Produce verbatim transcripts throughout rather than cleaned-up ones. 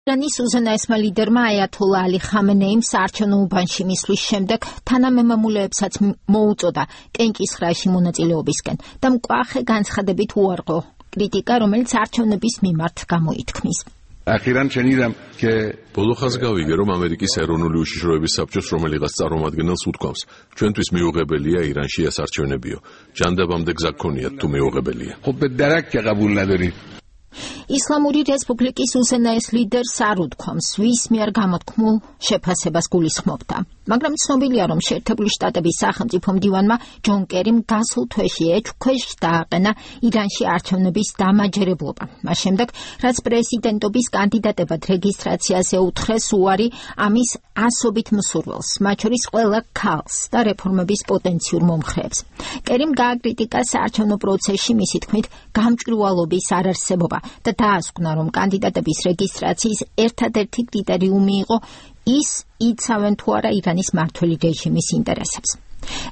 ირანის უზენაესმა ლიდერმა აიათოლა ალი ხამენეიმ საარჩევნო უბანში მისვლის შემდეგ თანამემამულეებსაც მოუწოდა კენჭისხრაში მონაწილეობისკენ და მკვახე განცხადებით უარყო კრიტიკა, რომელიც არჩევნების მიმართ გამოითქმის. Akhiran შენიდამ ke ბოლო ხანს გავიგე, რომ ამერიკის ეროვნული უშიშროების საბჭოს რომელიღაც წარმომადგენელს უთქვამს, ჩვენთვის მიუღებელია ირანში ეს არჩევნებიო. ჯანდაბამდე გზა გქონიათ თუ მიუღებელია. خب به درک که قبول ندارید. ისლამური რესპუბლიკის უზენაეს ლიდერს არ უთქვამს, ვის მიერ გამოთქმულ შეფასებას გულისხმობდა. მაგრამ ცნობილია, რომ შეერთებული შტატების სახელმწიფო მდივანმა ჯონ კერიმ გასულ თვეში ეჭვქვეშ დააყენა ირანში არჩევნების დამაჯერებლობა. მას შემდეგ, რაც პრეზიდენტობის კანდიდატებად რეგისტრაციაზე უთხრეს უარი ამის ასობით მსურველს, მათ შორის ყველა ქალს და რეფორმების პოტენციურ მომხრეებს. კერიმ გააკრიტიკა საარჩევნო პროცესში მისი თქმით გამჭვირვალობის არარსებობა და დაასკვნა, რომ კანდიდატების რეგისტრაციის ერთადერთი კრიტერიუმი იყო ის იცავენ თუ არა ირანის მმართველი რეჟიმის ინტერესებს.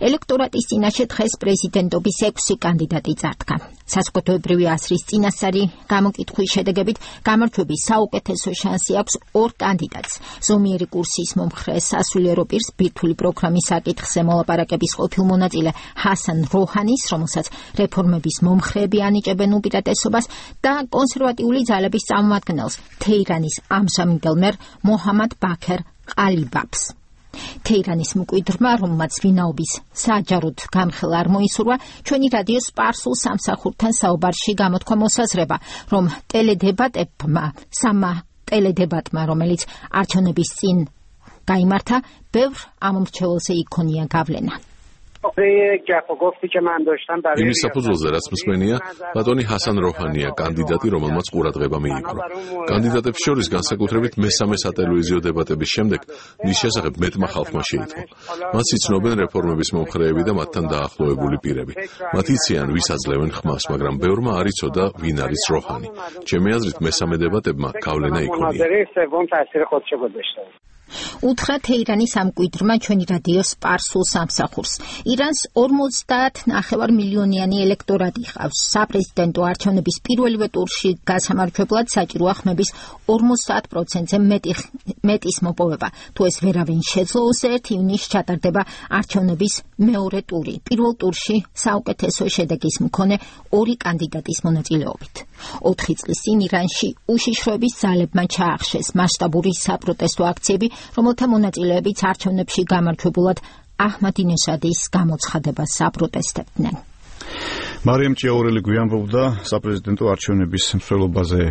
ელექტორატის წინაშე დღეს პრეზიდენტობის ექვსი კანდიდატი წარდგა. საზოგადოებრივი აზრის წინასწარი გამოკითხვის შედეგებით გამარჯვების საუკეთესო შანსი აქვს ორ კანდიდატს. ზომიერი კურსის მომხრე სასულიერო პირს ბირთვული პროგრამის საკითხზე მოლაპარაკების ყოფილ მონაწილე ჰასან როჰანის, რომელსაც რეფორმების მომხრეები ანიჭებენ უპირატესობას და კონსერვატიული ძალების წარმომადგენელს თეირანის ამჟამინდელ მერ მოჰამად ბაქერ ყალიბაფს. თეირანის მკვიდრმა, რომელმაც ვინაობის საჯაროდ გამხელა არ მოისურვა, ჩვენი რადიოს სპარსულ სამსახურთან საუბარში გამოთქვა მოსაზრება, რომ ტელედებატებმა, სამა ტელედებატმა, რომელიც არჩევნების წინ გაიმართა, ბევრ ამომრჩეველზე იქონია გავლენა. იმის საფუძველზე, რაც მსმენია, ბატონი ჰასან როჰანია კანდიდატი, რომელმაც ყურადღება მიიპყრო. კანდიდატებს შორის განსაკუთრებით მესამე სატელევიზიო დებატების შემდეგ მის შესახებ მეტმა ხალხმა შეიტყო. მას იცნობენ რეფორმების მომხრეები და მათთან დაახლოებული პირები. მათ იციან, ვის აძლევენ ხმას, მაგრამ ბევრმა არ იცოდა, ვინ არის როჰანი. ჩემი აზრით, მესამე დებატებმა გავლენა იქონია. უთხრა თეირანის ამკვიდრმა ჩვენი რადიოს სპარსულ სამსახურს. ირანს ორმოცდაათ ნახევარ მილიონიანი ელექტორატი ჰყავს. საპრეზიდენტო არჩევნების პირველივე ტურში გასამარჯვებლად საჭიროა ხმების ორმოცდაათ პროცენტზე მეტი მეტის მოპოვება. თუ ეს ვერავინ შეძლო, ერთ ივნისს ჩატარდება არჩევნების მეორე ტური. პირველ ტურში საუკეთესო შედეგის მქონე ორი კანდიდატის მონაწილეობით. ოთხი წლის წინ ირანში უშიშროების ძალებმა ჩაახშეს მასშტაბური საპროტესტო აქციები, რომელთა მონაწილეებიც არჩევნებში გამარჯვებულად აჰმადინეჟადის გამოცხადებას აპროტესტებდნენ. მარიამ ჭიაურელი გვიანბობდა საპრეზიდენტო არჩევნების მსვლელობაზე.